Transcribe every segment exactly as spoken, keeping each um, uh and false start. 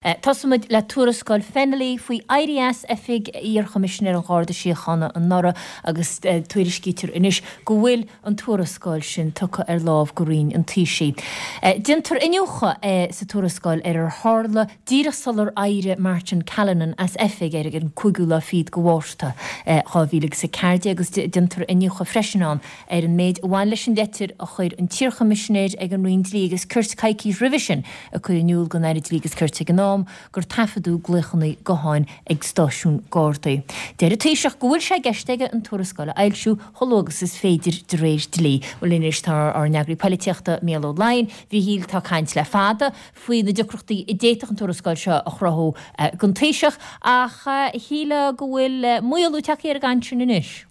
Tosóimid le tuarascáil Fennelly faoi éirí as oifig iar-Choimisinéir an Gharda Síochána anuraidh agus tuairiscítear anois go bhfuil an tuarascáil sin tugtha ar lámh go Roinn an Taoisigh. Déantar iniúchadh sa tuarascáil ar ar tharla díreach sular éirigh Martin Callinan as oifig ar an cúigiú lá fichead de Mhárta dhá mhíle agus a ceathair déag agus déantar iniúchadh freisin ann ar an méid a bhain leis an leitir a chuir an t-iarChoimisinéir ag an Roinn Dlí agus Cirt coicís roimhe sin ag cur in iúl don Aire Dlí agus Cirt ag an am gur taifeadadh glaochanna gutháin ag stáisiún Gardaí. Deir an Taoiseach go bhfuil sé i gceist aige an tuarascáil a fhoilsiú chomh luath agus is féidir de réir dlí. Bhuel anois tá ár n-eagraí polaitíochta Mícheál Ó Laighin, a Mhíchíl, tá caint le fada faoi na deacrachtaí a d'fhéadfadh an tuarascáil seo a chruthú don Taoiseach ach shílfeá go bhfuil maolú tagtha ar an gcaint sin anois.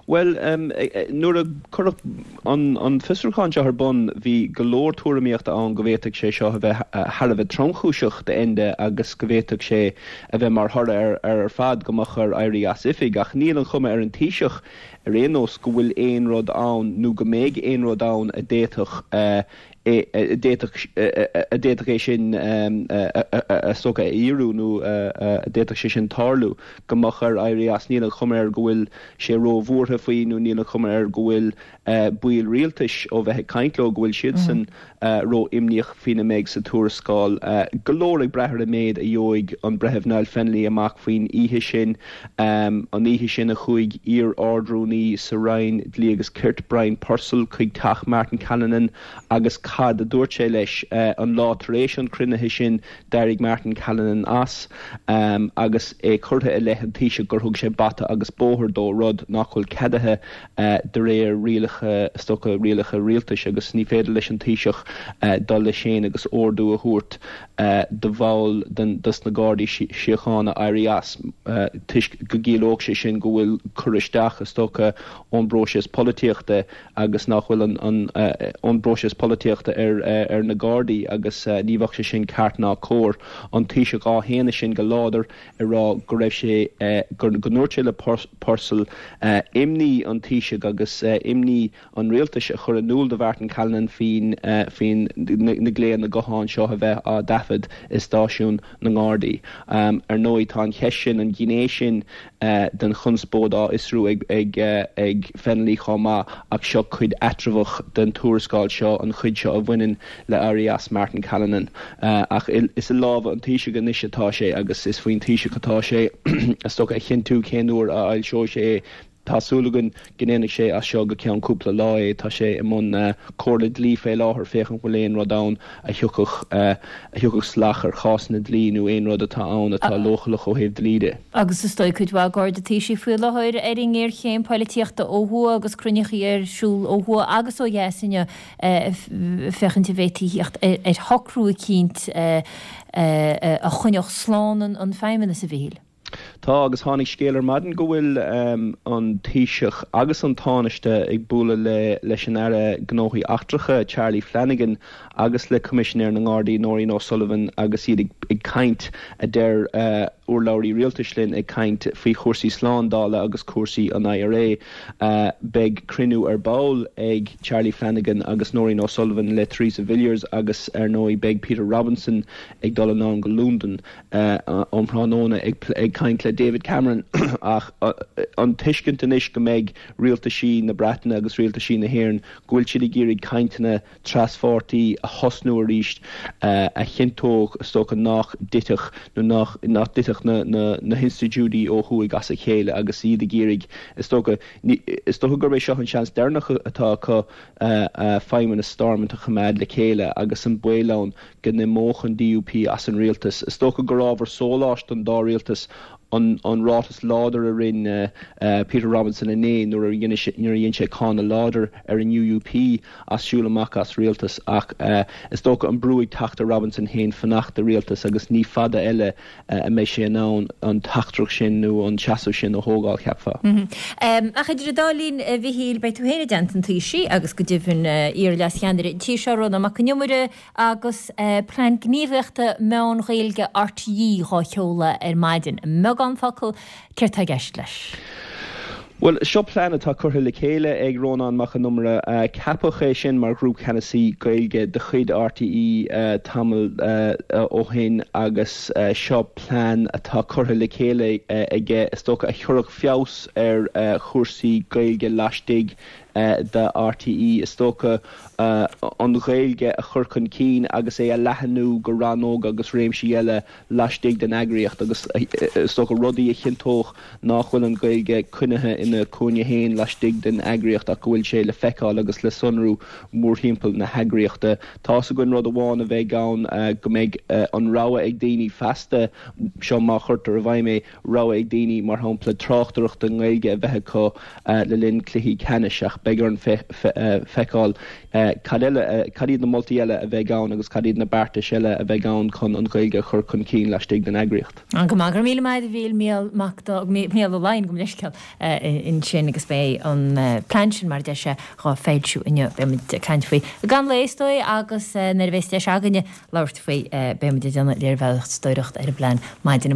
Bhuel, nuair a cuireadh an fiosrúchán seo ar bun, bhí go leor tuairimíochta ann go bhféadfadh sé seo a bheith thar a bheith tromchúiseach d'Enda agus go bhféadfadh sé a bheith mar thoradh air ar fad go mbeadh air éirí as oifig. Ach níl an chuma ar an Taoiseach ar aon nós go bhfuil aon rud ann nó go mbeidh aon rud ann a d'fhéadfadh a d'fhéadfadh é sin is dócha a fhíorú nó a d'fhéadfadh sé sin tarlú, go mbeadh air éirí as. Níl an chuma air go bhfuil sé róbhuartha faoi nó níl an chuma air go bhfuil baill rialtais, ó bheith ag caint leo, go bhfuil siadsan ró-imníoch faoina mbeidh sa tuarascáil. Go leor ag brath ar an méid a gheobhaidh an Breitheamh Niall Fennelly amach faoin oíche sin, an oíche sin a chuaigh iar-Ard-Rúnaí sa Roinn Dlí agus Cirt, Brian Purcell, chuig teach Martin Callinan agus cad a dúirt sé leis. An lá tar éis an chruinnithe sin d'éirigh Martin Callinan as agus é curtha i leith an Taoisigh gur thug sé bata agus bóthar dó, rud nach bhfuil ceadaithe de réir rialacha, is dócha, rialacha rialtais agus ní féidir leis an Taoiseach dul leis féin agus ordú a thabhairt do bhall dos na Gardaí Síochána éirí as toisc go gciallódh sé sin go bhfuil cur isteach, is dócha, ón bpróiseas polaitíochta agus nach bhfuil an ón bpróiseas polaitíochta ar ar na Gardaí agus ní bheadh sé sin ceart ná cóir. An Taoiseach á shéanadh sin go láidir ag rá go raibh sé go ndúirt sé le Purcell imní an Taoisigh agus imní an rialtais a chur in iúl do Mhartin Callinan faoin faoin na glaonna gutháin seo a bheith á dtaifead i stáisiún na nGardaí. Ar ndóigh tá an cheist sin, an ghné sin den chonspóid á fhiosrú ag ag ag Fennelly chomh maith ach seo cuid eatramhach den tuarascáil seo, an chuid seo a bhaineann le éirí as Martin Callinan. Ach is i lámha an Taoisigh anois atá sé agus is faoin Taoiseach atá sé is dócha a chinntiú cén uair a fhoilseoidh sé é. Tá súil againn go ndéanfaidh sé as seo go ceann cúpla lá é. Tá sé i mbun comhairle dlí fé láthair féachaint bhfuil aon rud ann a thiocfadh a thiocfadh salach ar chásanna dlí nó aon rud atá ann atá leochaileach ó thaobh dlí de. Agus is dóigh cuid mhaith Garda Taoisigh faoi láthair ar an ngéarchéim polaitíochta ó thuaidh agus cruinnithe ar siúl ó thuaidh agus ó dheas inniu féachaint an bhféadfaí theacht ar shocrú eicínt a choinneodh slán an Feidhmeannas, a Mhichíl. Tá, agus tháinig scéal ar maidin go bhfuil an Taoiseach agus an Tánaiste ag bualadh le leis an Aire Gnóthaí Eachtracha, Charlie Flanagan, agus le Coimisinéir na nGardaí, Nóirín O'Sullivan, agus iad ag caint, a deir urlabhraí rialtais linn, ag caint faoi chúrsaí slándála agus cúrsaí an I R A. Beidh cruinniú ar ball ag Charlie Flanagan agus Nóirín O'Sullivan le Theresa Villiers agus ar ndóigh beidh Peter Robinson ag dul anonn go Londain um thráthnóna ag caint le David Cameron. Ach an tuiscint anois go mbeidh rialtaisí na Breataine agus rialtaisí na hÉireann, go bhfuil siad ag iarraidh cainteanna traspháirtí a thosnú arís a chinnteodh, is dócha, nach dtitfeadh nó nach nach dtitfeadh na na na hinstitiúidí ó thuaidh as a chéile agus iad ag iarraidh, is dócha is dócha gurb é seo an seans deireanach atá acu feidhmeannas Stormont a choimeád le chéile agus an baol ann go n-imeodh an D U P as an rialtas. Is dócha gur ábhar sóláis don dá rialtas an an ráiteas láidir a rinne Peter Robinson inné nuair a nuair a dhein sé cáineadh láidir ar an U U P as siúl amach as rialtas, ach is dócha an brú ag teacht ar Robinson féin fanacht i rialtas agus ní fada eile a mbeidh sé in ann an teachtaireacht sin nó an seasamh sin a thógáil, cheapfá. Ach idir an dá linn, a Mhichíl, beidh tú féin i dteannta an Taoisigh agus go deimhin iar-leascheannaire an tí seo, Rónán Mac Con Iomaire, agus Plean Gníomhaíochta Meán Gaeilge R T É dhá sheoladh ar maidin. I mbeagán focal, céard tá i gceist leis? Well, seo plean atá curtha le chéile ag Rónán Mac Con Iomaire uh, ceapadh é sin mar ghrúpcheannasaí Gaeilge de chuid RTÉ uh, tamall uh, ó shin agus uh, seo plean atá curtha le chéile uh, aige is dócha a chuirfeadh feabhas ar uh, chúrsaí Gaeilge laistigh uh, de RTÉ is dócha uh, an Ghaeilge a chur chun cinn agus é a leathnú go rannóga agus réimsí eile laistigh den eagraíocht agus is dócha rudaí a chinnteodh nach bhfuil an Ghaeilge coinnithe ina cúinne féin laistigh den eagraíocht ach go bhfuil sé le feiceáil agus le sonrú mórthimpeall na heagraíochta. Tá gon rud amháin a bheidh ann uh, go mbeidh uh, an rogha ag daoine feasta seo má chuirtear i bhfeidhm é rogha ag daoine mar shampla tráchtaireacht i nGaeilge a bheith acu uh, le linn cluichí ceannais ach beidh orainn feiceáil cad eile cad iad na moltaí eile a bheidh ann agus cad iad na beartais eile a bheidh ann chun an Ghaeilge a chur chun cinn laistigh den eagraíocht. An go maith míle maith bhí míle míle lein go leisceil ansin agus beidh an plean sin mar deise dhá fheilsiú inniu beimid caint faoi. Gan léistói agus nuair a bheas deis againne labhairt faoi beimid ag déanamh léirmheastóireacht ar an bplean maidin amárach.